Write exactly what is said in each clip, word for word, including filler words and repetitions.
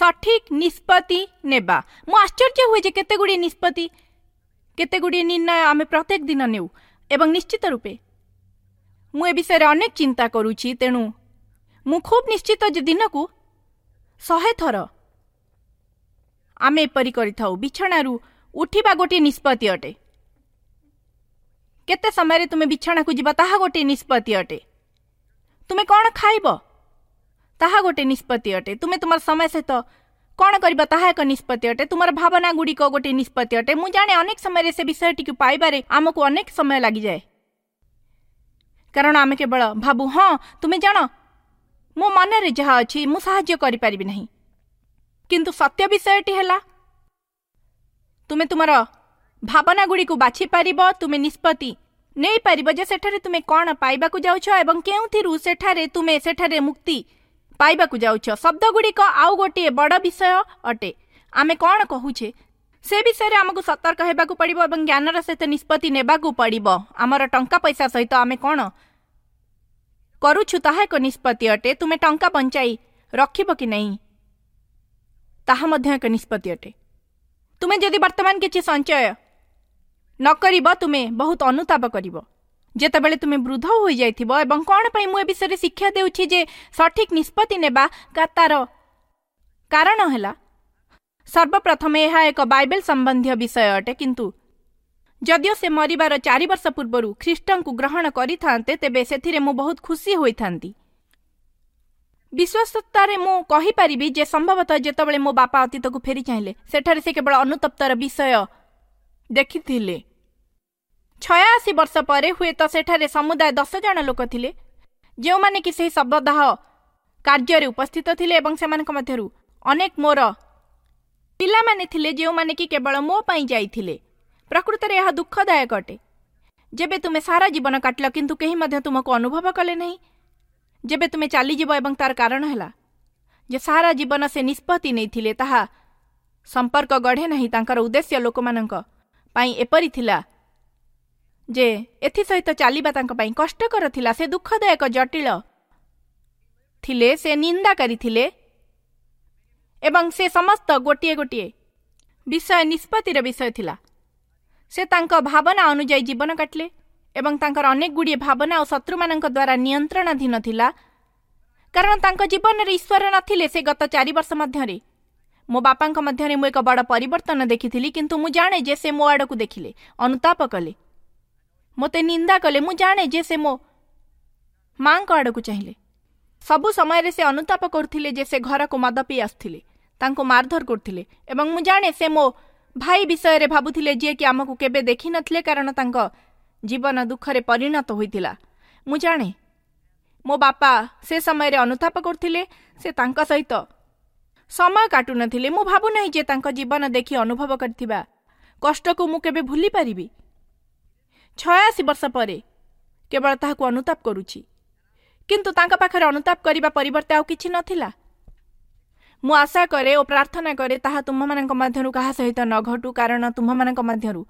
ସଠିକ୍ ନିଷ୍ପତ୍ତି ନେବା। ମୁଁ ଆଶ୍ଚର୍ଯ୍ୟ ହୁଏ ଯେ କେତେ ଗୁଡ଼ିଏ ନିଷ୍ପତ୍ତି, କେତେ ଗୁଡ଼ିଏ ନିର୍ଣ୍ଣୟ ଆମେ ପ୍ରତ୍ୟେକ ଦିନ ନେଉ ଏବଂ ନିଶ୍ଚିତ ରୂପେ ମୁଁ ଏ ବିଷୟରେ ଅନେକ ଚିନ୍ତା କରୁଛି। ତେଣୁ ମୁଁ ଖୁବ୍ ନିଶ୍ଚିତ ଯେ ଦିନକୁ ଶହେ ଥର ଆମେ ଏପରି କରିଥାଉ। ବିଛଣାରୁ ଉଠିବା ଗୋଟିଏ ନିଷ୍ପତ୍ତି ଅଟେ। କେତେ ସମୟରେ ତୁମେ ବିଛଣାକୁ ଯିବ ତାହା ଗୋଟିଏ ନିଷ୍ପତ୍ତି ଅଟେ। ତୁମେ କ'ଣ ଖାଇବ ତାହା ଗୋଟିଏ ନିଷ୍ପତ୍ତି ଅଟେ। ତୁମେ ତୁମର ସମୟ ସହିତ କ'ଣ କରିବ ତାହା ଏକ ନିଷ୍ପତ୍ତି ଅଟେ। ତୁମର ଭାବନା ଗୁଡ଼ିକ ଗୋଟିଏ ନିଷ୍ପତ୍ତି ଅଟେ। ମୁଁ ଜାଣେ ଅନେକ ସମୟରେ ସେ ବିଷୟଟିକୁ ପାଇବାରେ ଆମକୁ ଅନେକ ସମୟ ଲାଗିଯାଏ, କାରଣ ଆମେ କେବଳ ଭାବୁ, ହଁ ତୁମେ ଜାଣ ମୋ ମନରେ ଯାହା ଅଛି ମୁଁ ସାହାଯ୍ୟ କରିପାରିବି ନାହିଁ। କିନ୍ତୁ ସତ୍ୟ ବିଷୟଟି ହେଲା ତୁମେ ତୁମର ଭାବନା ଗୁଡ଼ିକୁ ବାଛିପାରିବ, ତୁମେ ନିଷ୍ପତ୍ତି ନେଇପାରିବ ଯେ ସେଠାରେ ତୁମେ କ'ଣ ପାଇବାକୁ ଯାଉଛ ଏବଂ କେଉଁଥିରୁ ସେଠାରେ ତୁମେ ସେଠାରେ ମୁକ୍ତି ପାଇବାକୁ ଯାଉଛ। ଶବ୍ଦଗୁଡ଼ିକ ଆଉ ଗୋଟିଏ ବଡ଼ ବିଷୟ ଅଟେ। ଆମେ କ'ଣ କହୁଛେ ସେ ବିଷୟରେ ଆମକୁ ସତର୍କ ହେବାକୁ ପଡ଼ିବ ଏବଂ ଜ୍ଞାନର ସହିତ ନିଷ୍ପତ୍ତି ନେବାକୁ ପଡ଼ିବ। ଆମର ଟଙ୍କା ପଇସା ସହିତ ଆମେ କ'ଣ କରୁଛୁ ତାହା ଏକ ନିଷ୍ପତ୍ତି ଅଟେ। ତୁମେ ଟଙ୍କା ବଞ୍ଚାଇ ରଖିବ କି ନାହିଁ ତାହା ମଧ୍ୟ ଏକ ନିଷ୍ପତ୍ତି ଅଟେ। ତୁମେ ଯଦି ବର୍ତ୍ତମାନ କିଛି ସଞ୍ଚୟ ନ କରିବ ତୁମେ ବହୁତ ଅନୁତାପ କରିବ ଯେତେବେଳେ ତୁମେ ବୃଦ୍ଧ ହୋଇଯାଇଥିବ। ଏବଂ କ'ଣ ପାଇଁ ମୁଁ ଏ ବିଷୟରେ ଶିକ୍ଷା ଦେଉଛି ଯେ ସଠିକ୍ ନିଷ୍ପତ୍ତି ନେବା, ତାର କାରଣ ହେଲା ସର୍ବପ୍ରଥମେ ଏହା ଏକ ବାଇବେଲ ସମ୍ବନ୍ଧୀୟ ବିଷୟ ଅଟେ। କିନ୍ତୁ ଯଦିଓ ସେ ମରିବାର ଚାରି ବର୍ଷ ପୂର୍ବରୁ ଖ୍ରୀଷ୍ଟଙ୍କୁ ଗ୍ରହଣ କରିଥାନ୍ତେ ତେବେ ସେଥିରେ ମୁଁ ବହୁତ ଖୁସି ହୋଇଥାନ୍ତି। ବିଶ୍ୱସ୍ତତାରେ ମୁଁ କହିପାରିବି ଯେ ସମ୍ଭବତଃ ଯେତେବେଳେ ମୋ ବାପା ଅତୀତକୁ ଫେରି ଚାହିଁଲେ ସେଠାରେ ସେ କେବଳ ଅନୁତପ୍ତର ବିଷୟ ଦେଖିଥିଲେ। ଛୟାଅଶୀ ବର୍ଷ ପରେ ହୁଏତ ସେଠାରେ ସମୁଦାୟ ଦଶ ଜଣ ଲୋକ ଥିଲେ ଯେଉଁମାନେ କି ସେହି ଶବଦାହ କାର୍ଯ୍ୟରେ ଉପସ୍ଥିତ ଥିଲେ ଏବଂ ସେମାନଙ୍କ ମଧ୍ୟରୁ ଅନେକ ମୋର ପିଲାମାନେ ଥିଲେ ଯେଉଁମାନେ କି କେବଳ ମୋ ପାଇଁ ଯାଇଥିଲେ। ପ୍ରକୃତରେ ଏହା ଦୁଃଖଦାୟକ ଅଟେ ଯେବେ ତୁମେ ସାରା ଜୀବନ କାଟିଲ କିନ୍ତୁ କେହି ମଧ୍ୟ ତୁମକୁ ଅନୁଭବ କଲେ ନାହିଁ। ଯେବେ ତୁମେ ଚାଲିଯିବ ଏବଂ ତାର କାରଣ ହେଲା ଯେ ସାରା ଜୀବନ ସେ ନିଷ୍ପତ୍ତି ନେଇଥିଲେ ତାହା ସମ୍ପର୍କ ଗଢ଼େ ନାହିଁ। ତାଙ୍କର ଉଦ୍ଦେଶ୍ୟ ଲୋକମାନଙ୍କ ପାଇଁ ଏପରି ଥିଲା ଯେ ଏଥିସହିତ ଚାଲିବା ତାଙ୍କ ପାଇଁ କଷ୍ଟକର ଥିଲା। ସେ ଦୁଃଖଦାୟକ ଜଟିଳ ଥିଲେ, ସେ ନିନ୍ଦାକାରୀ ଥିଲେ ଏବଂ ସେ ସମସ୍ତ ଗୋଟିଏ ଗୋଟିଏ ବିଷୟ ନିଷ୍ପତ୍ତିର ବିଷୟ ଥିଲା। ସେ ତାଙ୍କ ଭାବନା ଅନୁଯାୟୀ ଜୀବନ କାଟିଲେ ଏବଂ ତାଙ୍କର ଅନେକ ଗୁଡ଼ିଏ ଭାବନା ଓ ଶତ୍ରୁମାନଙ୍କ ଦ୍ୱାରା ନିୟନ୍ତ୍ରଣାଧୀନ ଥିଲା, କାରଣ ତାଙ୍କ ଜୀବନରେ ଈଶ୍ୱର ନଥିଲେ। ସେ ଗତ ଚାରି ବର୍ଷ ମଧ୍ୟରେ ମୋ ବାପାଙ୍କ ମଧ୍ୟରେ ମୁଁ ଏକ ବଡ଼ ପରିବର୍ତ୍ତନ ଦେଖିଥିଲି, କିନ୍ତୁ ମୁଁ ଜାଣେ ଯେ ସେ ମୋ ଆଡ଼କୁ ଦେଖିଲେ, ଅନୁତାପ କଲେ, ମୋତେ ନିନ୍ଦା କଲେ। ମୁଁ ଜାଣେ ଯେ ସେ ମୋ ମାଙ୍କ ଆଡ଼କୁ ଚାହିଁଲେ। ସବୁ ସମୟରେ ସେ ଅନୁତାପ କରୁଥିଲେ ଯେ ସେ ଘରକୁ ମଦ ପିଇ ଆସୁଥିଲେ, ତାଙ୍କୁ ମାରଧର କରୁଥିଲେ ଏବଂ ମୁଁ ଜାଣେ ସେ ମୋ ଭାଇ ବିଷୟରେ ଭାବୁଥିଲେ ଯିଏକି ଆମକୁ କେବେ ଦେଖିନଥିଲେ, କାରଣ ତାଙ୍କ ଜୀବନ ଦୁଃଖରେ ପରିଣତ ହୋଇଥିଲା। ମୁଁ ଜାଣେ ମୋ ବାପା ସେ ସମୟରେ ଅନୁତାପ କରୁଥିଲେ, ସେ ତାଙ୍କ ସହିତ ସମୟ କାଟୁନଥିଲେ। ମୁଁ ଭାବୁନାହିଁ ଯେ ତାଙ୍କ ଜୀବନ ଦେଖି ଅନୁଭବ କରିଥିବା କଷ୍ଟକୁ ମୁଁ କେବେ ଭୁଲି ପାରିବି। ଛୟାଅଶୀ ବର୍ଷ ପରେ କେବଳ ତାହାକୁ ଅନୁତାପ କରୁଛି, କିନ୍ତୁ ତାଙ୍କ ପାଖରେ ଅନୁତାପ କରିବା ପରିବର୍ତ୍ତେ ଆଉ କିଛି ନଥିଲା। ମୁଁ ଆଶା କରେ ଓ ପ୍ରାର୍ଥନା କରେ ତାହା ତୁମ୍ଭମାନଙ୍କ ମଧ୍ୟରୁ କାହା ସହିତ ନ ଘଟୁ, କାରଣ ତୁମ୍ଭମାନଙ୍କ ମଧ୍ୟରୁ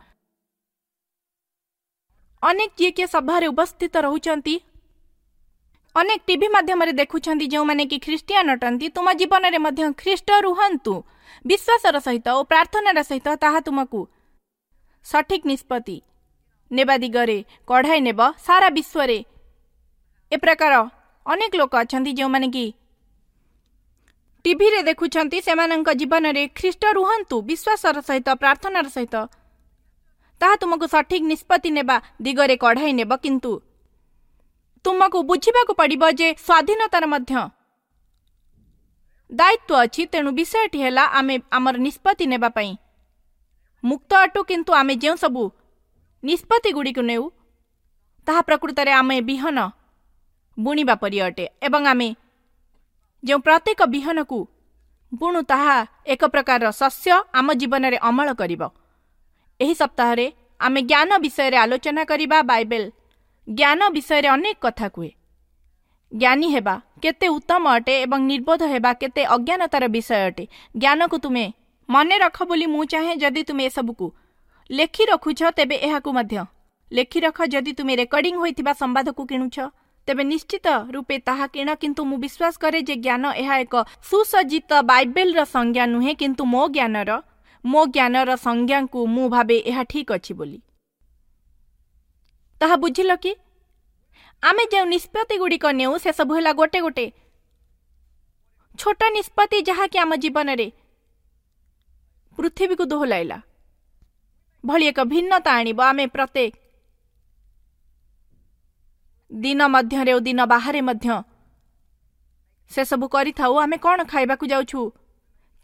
ଅନେକ ଯିଏ କିଏ ସଭାରେ ଉପସ୍ଥିତ ରହୁଛନ୍ତି, ଅନେକ ଟିଭି ମାଧ୍ୟମରେ ଦେଖୁଛନ୍ତି ଯେଉଁମାନେ କି ଖ୍ରୀଷ୍ଟିଆନ ଅଟନ୍ତି, ତୁମ ଜୀବନରେ ମଧ୍ୟ ଖ୍ରୀଷ୍ଟ ରୁହନ୍ତୁ। ବିଶ୍ୱାସର ସହିତ ଓ ପ୍ରାର୍ଥନାର ସହିତ ତାହା ତୁମକୁ ସଠିକ୍ ନିଷ୍ପତ୍ତି ନେବା ଦିଗରେ କଢ଼ାଇ ନେବ। ସାରା ବିଶ୍ୱରେ ଏ ପ୍ରକାର ଅନେକ ଲୋକ ଅଛନ୍ତି ଯେଉଁମାନେ କି ଟିଭିରେ ଦେଖୁଛନ୍ତି, ସେମାନଙ୍କ ଜୀବନରେ ଖ୍ରୀଷ୍ଟ ରୁହନ୍ତୁ। ବିଶ୍ୱାସର ସହିତ ପ୍ରାର୍ଥନାର ସହିତ ତାହା ତୁମକୁ ସଠିକ୍ ନିଷ୍ପତ୍ତି ନେବା ଦିଗରେ କଢ଼ାଇ ନେବ। କିନ୍ତୁ ତୁମକୁ ବୁଝିବାକୁ ପଡ଼ିବ ଯେ ସ୍ୱାଧୀନତାର ମଧ୍ୟ ଦାୟିତ୍ୱ ଅଛି। ତେଣୁ ବିଷୟଟି ହେଲା ଆମେ ଆମର ନିଷ୍ପତ୍ତି ନେବା ପାଇଁ ମୁକ୍ତ ଅଟୁ, କିନ୍ତୁ ଆମେ ଯେଉଁ ସବୁ ନିଷ୍ପତ୍ତି ଗୁଡ଼ିକୁ ନେଉ ତାହା ପ୍ରକୃତରେ ଆମେ ବିହନ ବୁଣିବା ପରି ଅଟେ ଏବଂ ଆମେ ଯେଉଁ ପ୍ରତ୍ୟେକ ବିହନକୁ ବୁଣୁ ତାହା ଏକ ପ୍ରକାରର ଶସ୍ୟ ଆମ ଜୀବନରେ ଅମଳ କରିବ। ଏହି ସପ୍ତାହରେ ଆମେ ଜ୍ଞାନ ବିଷୟରେ ଆଲୋଚନା କରିବା। ବାଇବେଲ ଜ୍ଞାନ ବିଷୟରେ ଅନେକ କଥା କୁହେ। ଜ୍ଞାନୀ ହେବା କେତେ ଉତ୍ତମ ଅଟେ ଏବଂ ନିର୍ବୋଧ ହେବା କେତେ ଅଜ୍ଞାନତାର ବିଷୟ ଅଟେ। ଜ୍ଞାନକୁ ତୁମେ ମନେ ରଖ ବୋଲି ମୁଁ ଚାହେଁ। ଯଦି ତୁମେ ଏସବୁକୁ ଲେଖି ରଖୁଛ ତେବେ ଏହାକୁ ମଧ୍ୟ ଲେଖି ରଖ। ଯଦି ତୁମେ ରେକର୍ଡିଂ ହୋଇଥିବା ସମ୍ବାଦକୁ କିଣୁଛ ତେବେ ନିଶ୍ଚିତ ରୂପେ ତାହା କିଣ। କିନ୍ତୁ ମୁଁ ବିଶ୍ୱାସ କରେ ଯେ ଜ୍ଞାନ ଏହା ଏକ ସୁସଜ୍ଜିତ ବାଇବେଲର ସଂଜ୍ଞା ନୁହେଁ, କିନ୍ତୁ ମୋ ଜ୍ଞାନର ମୋ ଜ୍ଞାନର ସଂଜ୍ଞାକୁ ମୁଁ ଭାବେ ଏହା ଠିକ୍ ଅଛି ବୋଲି। ତାହା ବୁଝିଲ କି? ଆମେ ଯେଉଁ ନିଷ୍ପତ୍ତି ଗୁଡ଼ିକ ନେଉ ସେସବୁ ହେଲା ଗୋଟେ ଗୋଟେ ଛୋଟ ନିଷ୍ପତ୍ତି, ଯାହାକି ଆମ ଜୀବନରେ ପୃଥିବୀକୁ ଦୋହଲାଇଲା ଭଳି ଏକ ଭିନ୍ନତା ଆଣିବ। ଆମେ ପ୍ରତ୍ୟେକ ଦିନ ମଧ୍ୟରେ ଓ ଦିନ ବାହାରେ ମଧ୍ୟ ସେସବୁ କରିଥାଉ। ଆମେ କ'ଣ ଖାଇବାକୁ ଯାଉଛୁ,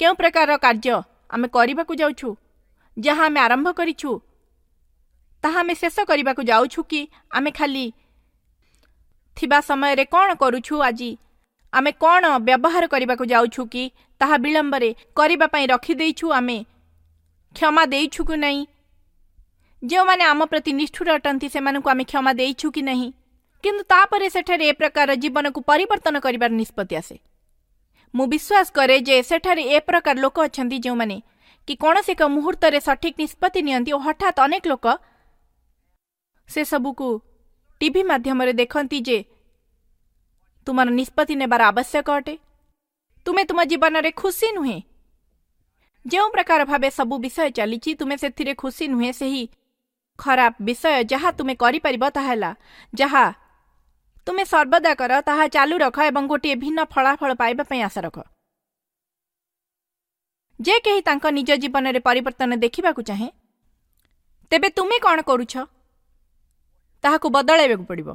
କେଉଁ ପ୍ରକାରର କାର୍ଯ୍ୟ ଆମେ କରିବାକୁ ଯାଉଛୁ, ଯାହା ଆମେ ଆରମ୍ଭ କରିଛୁ ତାହା ଆମେ ଶେଷ କରିବାକୁ ଯାଉଛୁ କି ଆମେ ଖାଲି ଥିବା ସମୟରେ କ'ଣ କରୁଛୁ, ଆଜି ଆମେ କ'ଣ ବ୍ୟବହାର କରିବାକୁ ଯାଉଛୁ କି ତାହା ବିଳମ୍ବରେ କରିବା ପାଇଁ ରଖିଦେଇଛୁ, ଆମେ କ୍ଷମା ଦେଇଛୁ କି ନାହିଁ, ଯେଉଁମାନେ ଆମ ପ୍ରତି ନିଷ୍ଠୁର ଅଟନ୍ତି ସେମାନଙ୍କୁ ଆମେ କ୍ଷମା ଦେଇଛୁ କି ନାହିଁ। କିନ୍ତୁ ତାପରେ ସେଠାରେ ଏ ପ୍ରକାର ଜୀବନକୁ ପରିବର୍ତ୍ତନ କରିବାର ନିଷ୍ପତ୍ତି ଆସେ। ମୁଁ ବିଶ୍ୱାସ କରେ ଯେ ସେଠାରେ ଏ ପ୍ରକାର ଲୋକ ଅଛନ୍ତି ଯେଉଁମାନେ କି କୌଣସି ଏକ ମୁହୂର୍ତ୍ତରେ ସଠିକ୍ ନିଷ୍ପତ୍ତି ନିଅନ୍ତି ଓ ହଠାତ୍ ଅନେକ ଲୋକ ସେସବୁକୁ ଟିଭି ମାଧ୍ୟମରେ ଦେଖନ୍ତି ଯେ ତୁମର ନିଷ୍ପତ୍ତି ନେବାର ଆବଶ୍ୟକ ଅଟେ। ତୁମେ ତୁମ ଜୀବନରେ ଖୁସି ନୁହେଁ, ଯେଉଁ ପ୍ରକାର ଭାବେ ସବୁ ବିଷୟ ଚାଲିଛି ତୁମେ ସେଥିରେ ଖୁସି ନୁହେଁ। ସେହି ଖରାପ ବିଷୟ ଯାହା ତୁମେ କରିପାରିବ ତାହା ହେଲା ଯାହା ତୁମେ ସର୍ବଦା କର ତାହା ଚାଲୁ ରଖ ଏବଂ ଗୋଟିଏ ଭିନ୍ନ ଫଳାଫଳ ପାଇବା ପାଇଁ ଆଶା ରଖ। ଯେ କେହି ତାଙ୍କ ନିଜ ଜୀବନରେ ପରିବର୍ତ୍ତନ ଦେଖିବାକୁ ଚାହେଁ, ତେବେ ତୁମେ କ'ଣ କରୁଛ ତାହାକୁ ବଦଳାଇବାକୁ ପଡ଼ିବ।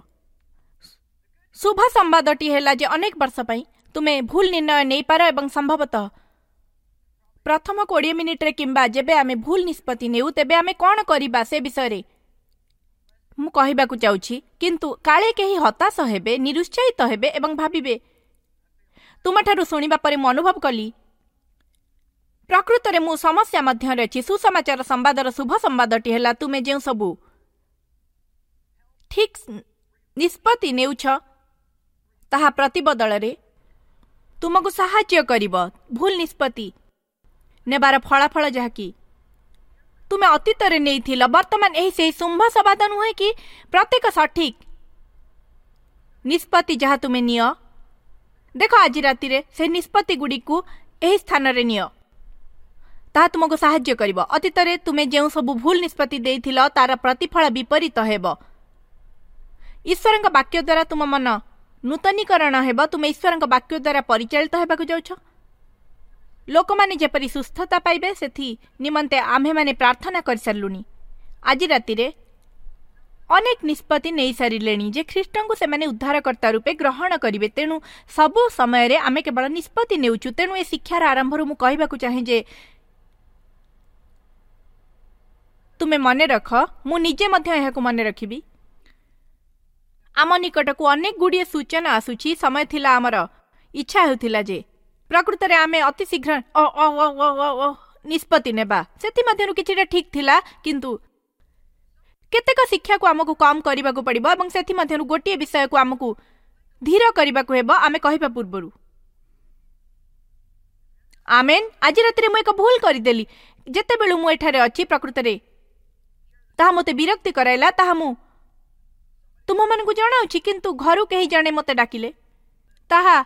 ଶୁଭ ସମ୍ବାଦଟି ହେଲା ଯେ ଅନେକ ବର୍ଷ ପାଇଁ ତୁମେ ଭୁଲ ନିର୍ଣ୍ଣୟ ନେଇପାର ଏବଂ ସମ୍ଭବତଃ ପ୍ରଥମ କୋଡ଼ିଏ ମିନିଟ୍ରେ କିମ୍ବା ଯେବେ ଆମେ ଭୁଲ ନିଷ୍ପତ୍ତି ନେଉ ତେବେ ଆମେ କ'ଣ କରିବା ସେ ବିଷୟରେ ମୁଁ କହିବାକୁ ଯାଉଛି। କିନ୍ତୁ କାଳେ କେହି ହତାଶ ହେବେ, ନିରୁତ୍ସାହିତ ହେବେ ଏବଂ ଭାବିବେ, ତୁମଠାରୁ ଶୁଣିବା ପରେ ମୁଁ ଅନୁଭବ କଲି ପ୍ରକୃତରେ ମୁଁ ସମସ୍ୟା ମଧ୍ୟରେ ଅଛି। ସୁସମାଚାର ସମ୍ବାଦର ଶୁଭ ସମ୍ବାଦଟି ହେଲା ତୁମେ ଯେଉଁ ସବୁ ଠିକ୍ ନିଷ୍ପତ୍ତି ନେଉଛ ତାହା ପ୍ରତିବଦଳରେ ତୁମକୁ ସାହାଯ୍ୟ କରିବ ଭୁଲ ନିଷ୍ପତ୍ତି ନେବାର ଫଳାଫଳ ଯାହାକି ତୁମେ ଅତୀତରେ ନେଇଥିଲ ବର୍ତ୍ତମାନ ଏହି ସେହି ଶୁମ୍ଭ ସମ୍ବାଦ ନୁହେଁ କି ପ୍ରତ୍ୟେକ ସଠିକ୍ ନିଷ୍ପତ୍ତି ଯାହା ତୁମେ ନିଅ, ଦେଖ ଆଜି ରାତିରେ ସେହି ନିଷ୍ପତ୍ତି ଗୁଡ଼ିକୁ ଏହି ସ୍ଥାନରେ ନିଅ, ତାହା ତୁମକୁ ସାହାଯ୍ୟ କରିବ। ଅତୀତରେ ତୁମେ ଯେଉଁ ସବୁ ଭୁଲ ନିଷ୍ପତ୍ତି ଦେଇଥିଲ ତାର ପ୍ରତିଫଳ ବିପରୀତ ହେବ। ଈଶ୍ୱରଙ୍କ ବାକ୍ୟ ଦ୍ୱାରା ତୁମ ମନ ନୂତନୀକରଣ ହେବ। ତୁମେ ଈଶ୍ୱରଙ୍କ ବାକ୍ୟ ଦ୍ୱାରା ପରିଚାଳିତ ହେବାକୁ ଯାଉଛ। ଲୋକମାନେ ଯେପରି ସୁସ୍ଥତା ପାଇବେ ସେଥି ନିମନ୍ତେ ଆମ୍ଭେମାନେ ପ୍ରାର୍ଥନା କରିସାରିଲୁଣି। ଆଜି ରାତିରେ ଅନେକ ନିଷ୍ପତ୍ତି ନେଇସାରିଲେଣି ଯେ ଖ୍ରୀଷ୍ଟଙ୍କୁ ସେମାନେ ଉଦ୍ଧାରକର୍ତ୍ତା ରୂପେ ଗ୍ରହଣ କରିବେ। ତେଣୁ ସବୁ ସମୟରେ ଆମେ କେବଳ ନିଷ୍ପତ୍ତି ନେଉଛୁ। ତେଣୁ ଏ ଶିକ୍ଷାର ଆରମ୍ଭରୁ ମୁଁ କହିବାକୁ ଚାହେଁ ଯେ ତୁମେ ମନେ ରଖ, ମୁଁ ନିଜେ ମଧ୍ୟ ଏହାକୁ ମନେ ରଖିବି। ଆମ ନିକଟକୁ ଅନେକ ଗୁଡ଼ିଏ ସୂଚନା ଆସୁଛି। ସମୟ ଥିଲା ଆମର ଇଚ୍ଛା ହେଉଥିଲା ଯେ ପ୍ରକୃତରେ ଆମେ ଅତି ଶୀଘ୍ର ନିଷ୍ପତ୍ତି ନେବା। ସେଥିମଧ୍ୟରୁ କିଛିଟା ଠିକ୍ ଥିଲା, କିନ୍ତୁ କେତେକ ଶିକ୍ଷାକୁ ଆମକୁ କମ୍ କରିବାକୁ ପଡ଼ିବ ଏବଂ ସେଥିମଧ୍ୟରୁ ଗୋଟିଏ ବିଷୟକୁ ଆମକୁ ଧୀର କରିବାକୁ ହେବ ଆମେ କହିବା ପୂର୍ବରୁ। ଆମେନ୍। ଆଜି ରାତିରେ ମୁଁ ଏକ ଭୁଲ କରିଦେଲି। ଯେତେବେଳୁ ମୁଁ ଏଠାରେ ଅଛି ପ୍ରକୃତରେ ତାହା ମୋତେ ବିରକ୍ତି କରାଇଲା, ତାହା ମୁଁ ତୁମମାନଙ୍କୁ ଜଣାଉଛି। କିନ୍ତୁ ଘରୁ କେହି ଜଣେ ମୋତେ ଡାକିଲେ, ତାହା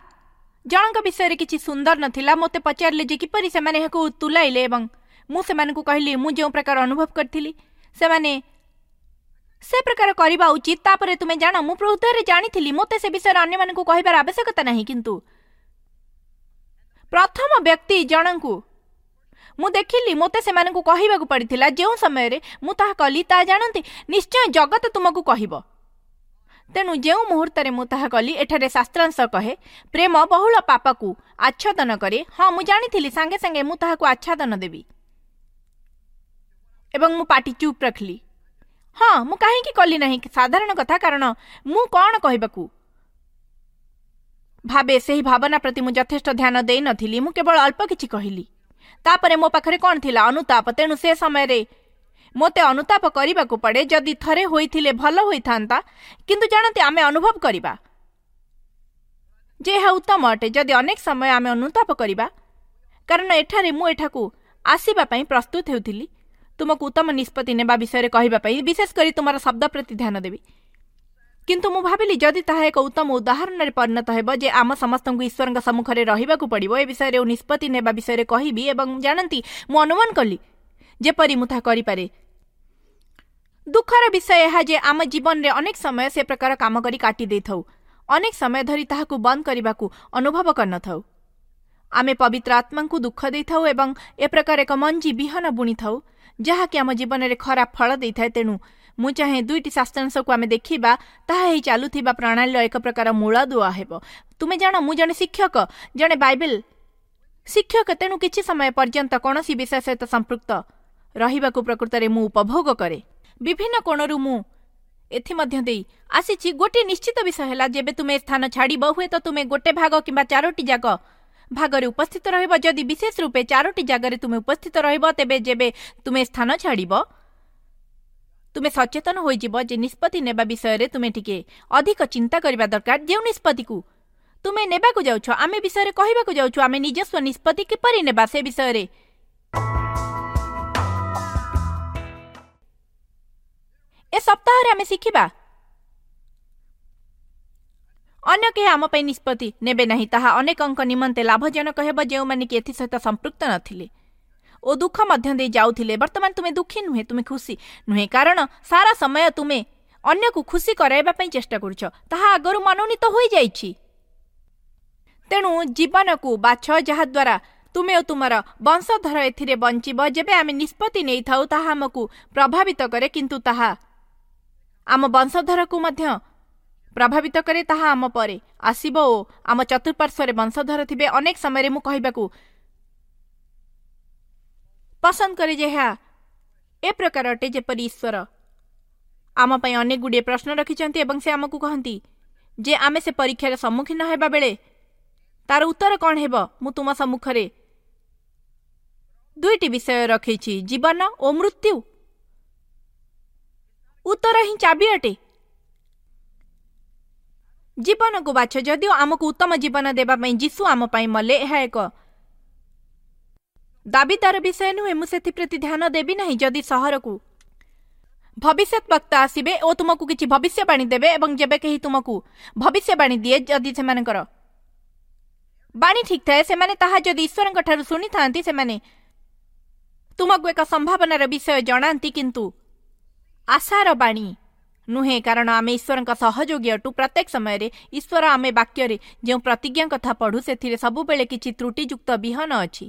ଜଣଙ୍କ ବିଷୟରେ କିଛି ସୁନ୍ଦର ନଥିଲା। ମୋତେ ପଚାରିଲେ ଯେ କିପରି ସେମାନେ ଏହାକୁ ତୁଲାଇଲେ ଏବଂ ମୁଁ ସେମାନଙ୍କୁ କହିଲି ମୁଁ ଯେଉଁ ପ୍ରକାର ଅନୁଭବ କରିଥିଲି ସେମାନେ ସେ ପ୍ରକାର କରିବା ଉଚିତ। ତାପରେ ତୁମେ ଜାଣ, ମୁଁ ହୃଦୟରେ ଜାଣିଥିଲି ମୋତେ ସେ ବିଷୟରେ ଅନ୍ୟମାନଙ୍କୁ କହିବାର ଆବଶ୍ୟକତା ନାହିଁ, କିନ୍ତୁ ପ୍ରଥମ ବ୍ୟକ୍ତି ଜଣଙ୍କୁ ମୁଁ ଦେଖିଲି ମୋତେ ସେମାନଙ୍କୁ କହିବାକୁ ପଡ଼ିଥିଲା। ଯେଉଁ ସମୟରେ ମୁଁ ତାହା କଲି ତାହା ଜାଣନ୍ତି ନିଶ୍ଚୟ ଜଗତ ତୁମକୁ କହିବ। ତେଣୁ ଯେଉଁ ମୁହୂର୍ତ୍ତରେ ମୁଁ ତାହା କଲି, ଏଠାରେ ଶାସ୍ତ୍ରାଂଶ କହେ ପ୍ରେମ ବହୁଳ ପାପକୁ ଆଚ୍ଛାଦନ କରେ। ହଁ, ମୁଁ ଜାଣିଥିଲି ସାଙ୍ଗେ ସାଙ୍ଗେ ମୁଁ ତାହାକୁ ଆଚ୍ଛାଦନ ଦେବି ଏବଂ ମୁଁ ପାଟି ଚୁପ୍ ରଖିଲି। ହଁ, ମୁଁ କାହିଁକି କଲି ନାହିଁ? ସାଧାରଣ କଥା, କାରଣ ମୁଁ କ'ଣ କହିବାକୁ ଭାବେ ସେହି ଭାବନା ପ୍ରତି ମୁଁ ଯଥେଷ୍ଟ ଧ୍ୟାନ ଦେଇନଥିଲି। ମୁଁ କେବଳ ଅଳ୍ପ କିଛି କହିଲି। ତାପରେ ମୋ ପାଖରେ କ'ଣ ଥିଲା? ଅନୁତାପ। ତେଣୁ ସେ ସମୟରେ ମୋତେ ଅନୁତାପ କରିବାକୁ ପଡ଼େ। ଯଦି ଥରେ ହୋଇଥିଲେ ଭଲ ହୋଇଥାନ୍ତା, କିନ୍ତୁ ଜାଣନ୍ତି ଆମେ ଅନୁଭବ କରିବା ଯେ ଏହା ଉତ୍ତମ ଅଟେ ଯଦି ଅନେକ ସମୟ ଆମେ ଅନୁତାପ କରିବା। କାରଣ ଏଠାରେ ମୁଁ ଏଠାକୁ ଆସିବା ପାଇଁ ପ୍ରସ୍ତୁତ ହେଉଥିଲି ତୁମକୁ ଉତ୍ତମ ନିଷ୍ପତ୍ତି ନେବା ବିଷୟରେ କହିବା ପାଇଁ, ବିଶେଷ କରି ତୁମର ଶବ୍ଦ ପ୍ରତି ଧ୍ୟାନ ଦେବି। କିନ୍ତୁ ମୁଁ ଭାବିଲି ଯଦି ତାହା ଏକ ଉତ୍ତମ ଉଦାହରଣରେ ପରିଣତ ହେବ ଯେ ଆମ ସମସ୍ତଙ୍କୁ ଈଶ୍ୱରଙ୍କ ସମ୍ମୁଖରେ ରହିବାକୁ ପଡ଼ିବ, ଏ ବିଷୟରେ ଓ ନିଷ୍ପତ୍ତି ନେବା ବିଷୟରେ କହିବି। ଏବଂ ଜାଣନ୍ତି, ମୁଁ ଅନୁମାନ କଲି ଯେପରି ମୁଁ ତାହା କରିପାରେ। ଦୁଃଖର ବିଷୟ ଏହା ଯେ ଆମ ଜୀବନରେ ଅନେକ ସମୟ ସେ ପ୍ରକାର କାମ କରି କାଟି ଦେଇଥାଉ, ଅନେକ ସମୟ ଧରି ତାହାକୁ ବନ୍ଦ କରିବାକୁ ଅନୁଭବ କରିନଥାଉ। ଆମେ ପବିତ୍ର ଆତ୍ମାଙ୍କୁ ଦୁଃଖ ଦେଇଥାଉ ଏବଂ ଏ ପ୍ରକାର ଏକ ମଞ୍ଜି ବିହନ ବୁଣିଥାଉ ଯାହାକି ଆମ ଜୀବନରେ ଖରାପ ଫଳ ଦେଇଥାଏ। ତେଣୁ ମୁଁ ଚାହେଁ ଦୁଇଟି ଶାସ୍ତ୍ରାଂଶକୁ ଆମେ ଦେଖିବା, ତାହା ଏହି ଚାଲୁଥିବା ପ୍ରଣାଳୀର ଏକ ପ୍ରକାର ମୂଳଦୁଆ ହେବ। ତୁମେ ଜାଣ, ମୁଁ ଜଣେ ଶିକ୍ଷକ, ଜଣେ ବାଇବେଲ ଶିକ୍ଷକ, ତେଣୁ କିଛି ସମୟ ପର୍ଯ୍ୟନ୍ତ କୌଣସି ବିଷୟ ସହିତ ସମ୍ପୃକ୍ତ ରହିବାକୁ ପ୍ରକୃତରେ ମୁଁ ଉପଭୋଗ କରେ। ବିଭିନ୍ନ କୋଣରୁ ମୁଁ ଏଥିମଧ୍ୟ ଦେଇ ଆସିଛି। ଗୋଟିଏ ନିଶ୍ଚିତ ବିଷୟ ହେଲା, ଯେବେ ତୁମେ ସ୍ଥାନ ଛାଡ଼ିବ, ହୁଏତ ତୁମେ ଗୋଟେ ଭାଗ କିମ୍ବା ଚାରୋଟି ଯାକ ଭାଗରେ ଉପସ୍ଥିତ ରହିବ। ଯଦି ବିଶେଷ ରୂପେ ଚାରୋଟି ଜାଗାରେ ତୁମେ ଉପସ୍ଥିତ ରହିବ, ତେବେ ଯେବେ ତୁମେ ସ୍ଥାନ ଛାଡ଼ିବ, ତୁମେ ସଚେତନ ହୋଇଯିବ ଯେ ନିଷ୍ପତ୍ତି ନେବା ବିଷୟରେ ତୁମେ ଟିକେ ଅଧିକ ଚିନ୍ତା କରିବା ଦରକାର। ଯେଉଁ ନିଷ୍ପତ୍ତିକୁ ତୁମେ ନେବାକୁ ଯାଉଛ, ଆମେ ବିଷୟରେ କହିବାକୁ ଯାଉଛୁ, ଆମେ ନିଜସ୍ୱ ନିଷ୍ପତ୍ତି କିପରି ନେବା ସେ ବିଷୟରେ ଏ ସପ୍ତାହରେ ଆମେ ଶିଖିବା। ଅନ୍ୟ କେହି ଆମ ପାଇଁ ନିଷ୍ପତ୍ତି ନେବେ ନାହିଁ। ତାହା ଅନେକଙ୍କ ନିମନ୍ତେ ଲାଭଜନକ ହେବ ଯେଉଁମାନେ କି ଏଥିସହିତ ସମ୍ପୃକ୍ତ ନଥିଲେ ଓ ଦୁଃଖ ମଧ୍ୟ ଦେଇ ଯାଉଥିଲେ। ବର୍ତ୍ତମାନ ତୁମେ ଦୁଃଖୀ ନୁହେଁ, ତୁମେ ଖୁସି ନୁହେଁ, କାରଣ ସାରା ସମୟ ତୁମେ ଅନ୍ୟକୁ ଖୁସି କରାଇବା ପାଇଁ ଚେଷ୍ଟା କରୁଛ। ତାହା ଆଗରୁ ମନୋନୀତ ହୋଇଯାଇଛି। ତେଣୁ ଜୀବନକୁ ବାଛ ଯାହାଦ୍ୱାରା ତୁମେ ଓ ତୁମର ବଂଶଧର ଏଥିରେ ବଞ୍ଚିବ। ଯେବେ ଆମେ ନିଷ୍ପତ୍ତି ନେଇଥାଉ, ତାହା ଆମକୁ ପ୍ରଭାବିତ କରେ, କିନ୍ତୁ ତାହା ଆମ ବଂଶଧରକୁ ମଧ୍ୟ ପ୍ରଭାବିତ କରେ। ତାହା ଆମ ପରେ ଆସିବ ଓ ଆମ ଚତୁଃପାର୍ଶ୍ୱରେ ବଂଶଧର ଥିବେ। ଅନେକ ସମୟରେ ମୁଁ କହିବାକୁ ପସନ୍ଦ କରେ ଯେ ଏହା ଏ ପ୍ରକାର ଅଟେ ଯେପରି ଈଶ୍ୱର ଆମ ପାଇଁ ଅନେକ ଗୁଡ଼ିଏ ପ୍ରଶ୍ନ ରଖିଛନ୍ତି ଏବଂ ସେ ଆମକୁ କହନ୍ତି ଯେ ଆମେ ସେ ପରୀକ୍ଷାର ସମ୍ମୁଖୀନ ହେବା ବେଳେ ତାର ଉତ୍ତର କ'ଣ ହେବ। ମୁଁ ତୁମ ସମ୍ମୁଖରେ ଦୁଇଟି ବିଷୟ ରଖିଛି, ଜୀବନ ଓ ମୃତ୍ୟୁ। ଉତ୍ତର ହିଁ ଚାବି ଅଟେ। ଜୀବନକୁ ବାଛ। ଯଦିଓ ଆମକୁ ଉତ୍ତମ ଜୀବନ ଦେବା ପାଇଁ ଯୀଶୁ ଆମ ପାଇଁ ମଲେ, ଏହା ଏକ ଦାବିଦାର ବିଷୟ ନୁହେଁ। ମୁଁ ସେଥିପ୍ରତି ଧ୍ୟାନ ଦେବି ନାହିଁ। ଯଦି ସହରକୁ ଭବିଷ୍ୟତ ବକ୍ତା ଆସିବେ ଓ ତୁମକୁ କିଛି ଭବିଷ୍ୟବାଣୀ ଦେବେ, ଏବଂ ଯେବେ କେହି ତୁମକୁ ଭବିଷ୍ୟବାଣୀ ଦିଏ, ଯଦି ସେମାନଙ୍କର ବାଣୀ ଠିକ୍ ଥାଏ, ସେମାନେ ତାହା ଯଦି ଈଶ୍ୱରଙ୍କ ଠାରୁ ଶୁଣିଥାନ୍ତି, ସେମାନେ ତୁମକୁ ଏକ ସମ୍ଭାବନାର ବିଷୟ ଜଣାନ୍ତି, କିନ୍ତୁ ଆଶାର ବାଣୀ ନୁହେଁ। କାରଣ ଆମେ ଈଶ୍ୱରଙ୍କ ସହଯୋଗୀ ଅଟୁ। ପ୍ରତ୍ୟେକ ସମୟରେ ଈଶ୍ୱର ଆମେ ବାକ୍ୟରେ ଯେଉଁ ପ୍ରତିଜ୍ଞା କଥା ପଢ଼ୁ, ସେଥିରେ ସବୁବେଳେ କିଛି ତ୍ରୁଟିଯୁକ୍ତ ବିହନ ଅଛି।